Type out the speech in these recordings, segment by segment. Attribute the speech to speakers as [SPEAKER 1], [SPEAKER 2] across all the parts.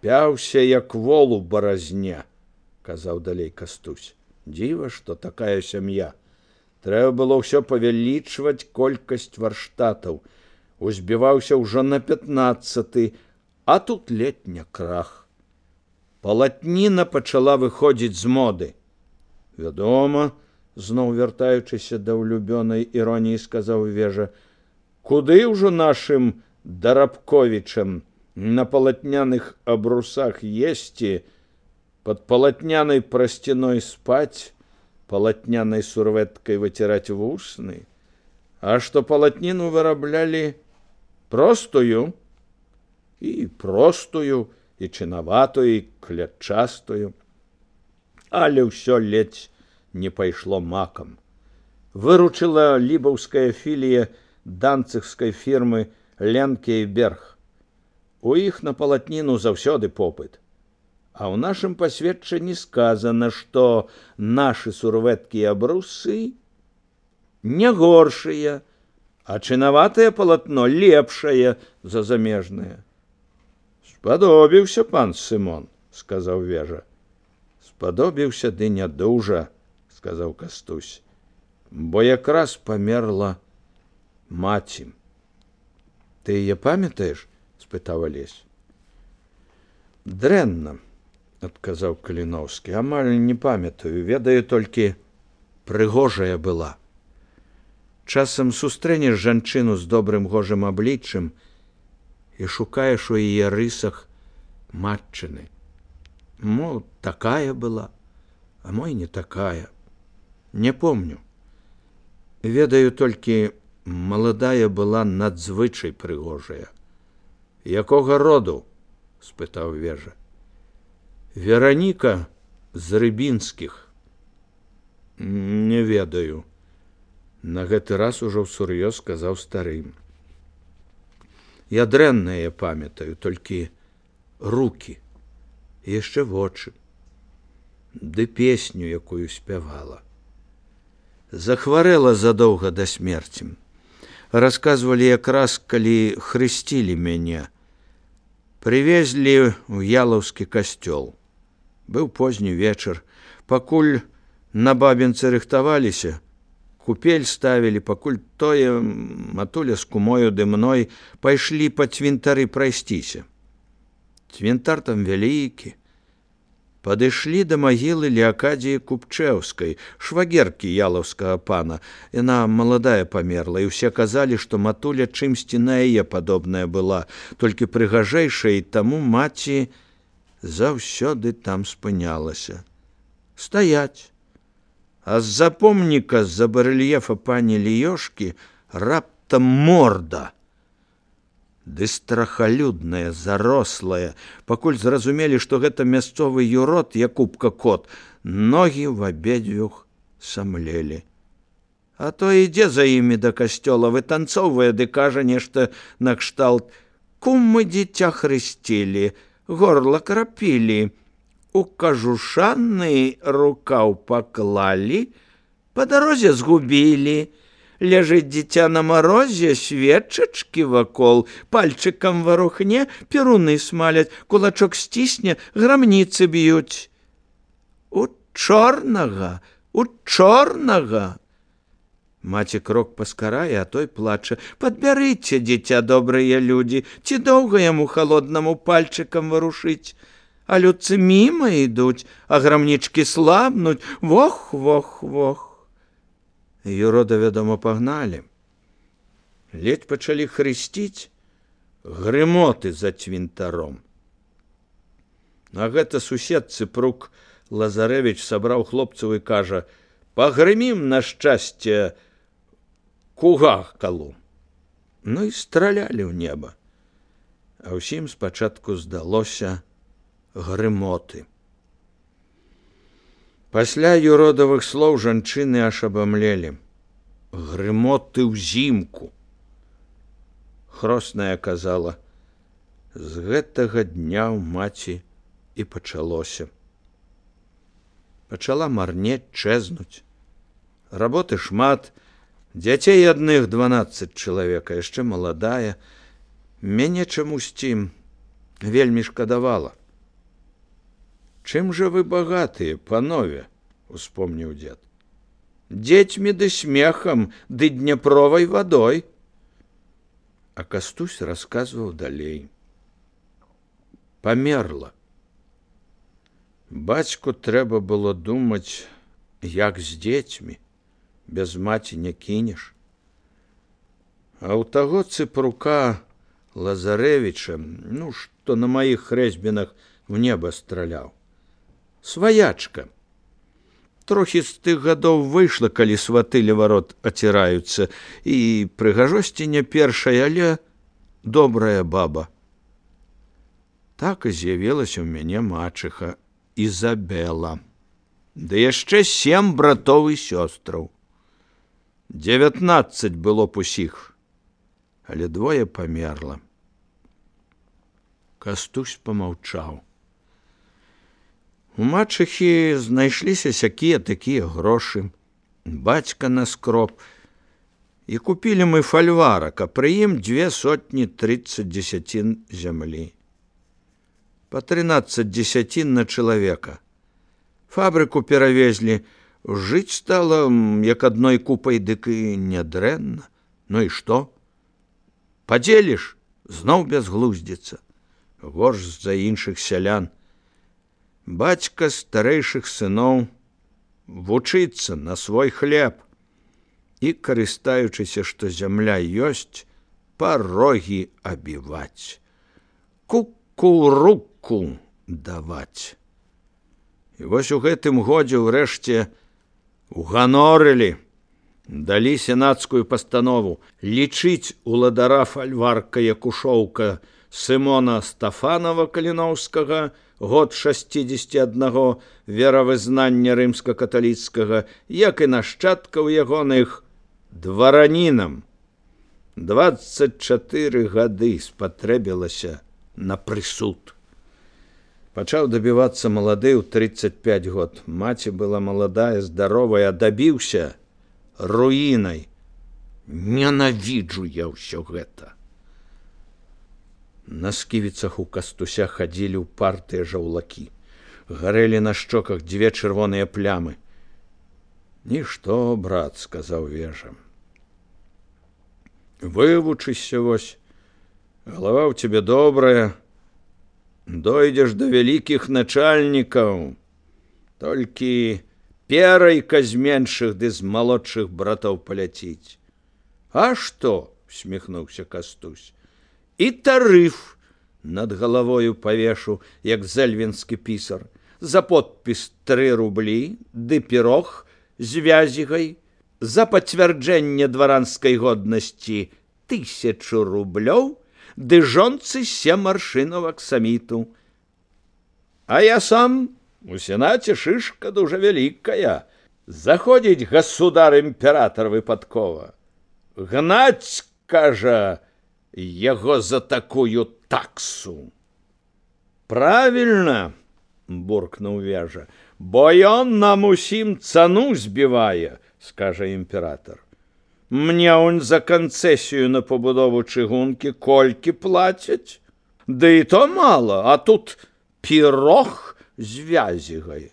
[SPEAKER 1] Пяўся, як вол у баразне, казаў далей Кастусь. Дзіва, што такая сям'я. Трэба было ўсё павялічваць колькасць варштатаў. Узбіваўся ўжо на 15, а тут летня крах. Палатніна пачала выходзіць з моды. Вядома, зноў вяртаючыся да ўлюбёнай іроніі, сказаў Вежа, куды ўжо нашым Дарабковічам на палатняных абрусах есці, под палатнянай прасцяной спаць, палатнянай сурвэткай выціраць вусны, а што палатніну выраблялі простую, і чынаватую, і клятчастую, але ўсё ледзь не пайшло макам. Выручыла лібаўская філія данцыгскай фірмы Ленкейберг. У іх на палатніну заўсёды попыт. А ў нашым пасведчанні сказана, што нашы сурвэткі і абрусы не горшыя, а чынаватае палатно лепшае за замежнае. Спадобіўся пан Сымон, сказаў Вежа. Спадобіўся, ды не дужа, сказаў Кастусь, бо якраз памерла маці. Ты яе памятаеш? Спытаў Алесь. Дрэнна, адказаў Каліноўскі, амаль не памятаю, ведаю толькі, прыгожая была. Часам сустрэнеш жанчыну з добрым гожым абліччам і шукаеш у яе рысах матчыны. Мо такая была, а мо і не такая. Не помню. Ведаю толькі, маладая была надзвычай прыгожая. Якога роду? Спытаў Вежа. Вераніка з Рыбінскіх. Не ведаю. На гэты раз ужо ўсур'ёз сказаў стары. Я дрэннае памятаю, толькі рукі, яшчэ вочы, ды песню, якую спявала. Захварэла задоўга да смерці. Расказвалі якраз, калі хрысцілі мяне. Прывезлі ў Ялаўскі касцёл. Быў позні вечар. Пакуль на бабінцы рыхтаваліся, купель ставілі, пакуль тое матуля з кумою ды мной пайшлі па цвінтары прайсціся. Цвінтар там вялікі. Падышлі да магілы Леакадзіі Купчэўскай, швагеркі ялаўскага пана. Яна маладая памерла, і ўсе казалі, што матуля чымсьці на яе падобная была, толькі прыгажэйшая, і таму маці заўсёды там спынялася. Стаяць. А з-за помніка, з-за барэльефа пані Ліёшкі, раптам морда. Ды страхалюдная, зарослая, пакуль зразумелі, што гэта мясцовы юрод Якубка кот, ногі в абедзвюх самлелі. А то ідзе за імі да касцёла, вытанцоўвае, ды кажа нешта накшталт: кум мы дзіця хрысцілі, горла крапілі, у кажушаны рукаў паклалі, па дарозе згубілі. Ляжыць дзіця на марозе, свечачкі вакол, пальчыкам варухне, перуны смаляць, кулачок сцісне, грамніцы б'юць. У чорнага, у чорнага! Маці крок паскарае, а той плача: падбярыце, дзіця, добрыя людзі, ці доўга яму халоднаму пальчыкам варушыць? А людцы міма ідуць, а грамнічкі слабнуць, вох, вох, вох. Юрода, вядома, пагналі. Ледзь пачалі хрысціць, грымоты за цвінтаром. А гэта сусед Цыпрук Лазарэвіч сабраў хлопцаў і кажа: пагрымім на шчасце кугакалу. Ну і стралялі ў неба. А ўсім спачатку здалося грымоты. Пасля юродавых слоў жанчыны аж абамлелі. Грымоты ўзімку. Хросная казала: з гэтага дня ў маці і пачалося. Пачала марнець, чэзнуць. Работы шмат, дзяцей адных 12 чалавек, яшчэ маладая. Мяне чамусьці вельмі шкадавала. Чым жа вы багатыя, панове, успомніў дзед. Дзецьмі ды смехам, ды дняпровай вадой. А Кастусь расказваў далей. Памерла. Бацьку трэба было думаць, як з дзецьмі, без маці не кінеш. А ў таго цыпрука Лазарэвіча, што на маіх хрэсьбінах в неба страляў. Сваячка. Трохі з тых гадоў выйшла, калі сваты ля варот аціраюцца, і прыгажосці не першая, але добрая баба. Так і з'явілася ў мяне мачыха Ізабела. Ды яшчэ 7 братоў і сёстраў. 19 было б усіх, але 2 памерла. Кастусь помаўчаў. У мачыхі знайшліся сякія-такія грошы. Бацька наскроб. І купілі мы фальварак, а пры ім 230 дзесяцін зямлі. Па 13 дзесяцін на чалавека. Фабрыку перавезлі. Жыць стала, як адной купай, дык і нядрэнна. Ну і што? Падзеліш, зноў бязглуздзіца. Горш за іншых сялян. Бацька старэйшых сыноў вучыцца на свой хлеб і, карыстаючыся, што зямля ёсць, парогі абіваць, кукуруку даваць. І вось у гэтым годзе ўрэшце уганорылі, далі сенацкую пастанову лічыць уладара фальварка Якушоўка Сымона Стафанова Каліноўскага, год 61, веравызнання рымска-каталіцкага, як і нашчадкаў ягоных, дваранінам. 24 гады спатрэбілася на прысуд. Пачаў дабівацца малады ў 35 год. Маці была маладая, здаровая, а дабіўся руінай. Ненавіджу я ўсё гэта. На сківіцах у Кастуся хадзілі ўпартыя жаўлакі. Гарэлі на шчоках 2 чырвоныя плямы. Нішто, брат, сказаў Вежа. Вывучыся вось, галава ў цябе добрая, дойдзеш да вялікіх начальнікаў, толькі перайка з меншых ды з малодшых братоў паляціць. А што? Усміхнуўся Кастусь. І тарыф над галавою павешу, як зэльвінскі пісар. За подпіс 3 рублі, ды пірог з вязігай. За пацвярджэнне дваранскай годнасці 1000 рублёў, ды жонцы 7 аршынаў аксаміту. А я сам у сенаце шышка дужа вялікая. Заходзіць государ-імператор выпадкова. Гнаць, кажа, яго за такую таксу. Правильно, буркнуў Вежа, бо ён нам усім цану збівае, скажа імператор. Мне он за канцэсію на пабудову чыгункі колькі плацяць? Ды і то мала, а тут пірог з вязігай.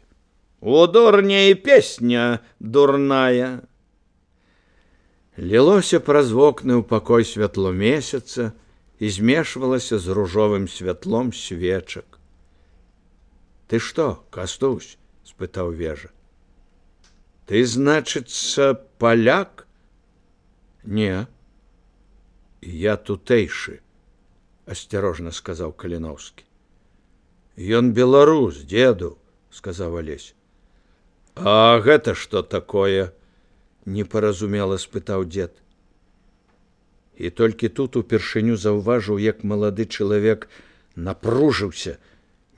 [SPEAKER 1] У дурня і песня дурная. Лілося праз вокны ў пакой святло месяца і змешвалася з ружовым святлом свечак. Ты што, Кастусь? Спытаў Вежа. Ты, значыцца, паляк? Не. Я тутэйшы, асцярожна сказаў Каліноўскі. Ён беларус, дзеду, сказаў Алесь. А гэта што такое? Непаразумела спытаў дзед. І толькі тут упершыню заўважыў, як малады чалавек напружыўся,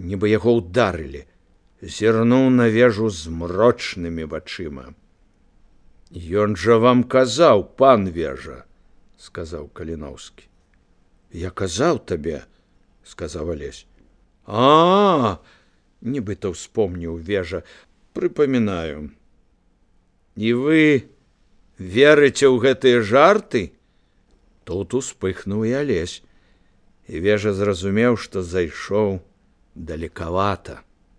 [SPEAKER 1] нібы яго ўдарылі, зірнуў на Вежу змрочнымі вачыма. Ён жа вам казаў, пан Вежа, сказаў Каліноўскі. Я казаў табе, сказаў Алесь. Нібыта ўспомніў Вежа, прыпамінаю. І вы верыце ў гэтыя жарты? Тут успыхнуў і Алесь. І Вежа зразумеў, што зайшоў далекавата.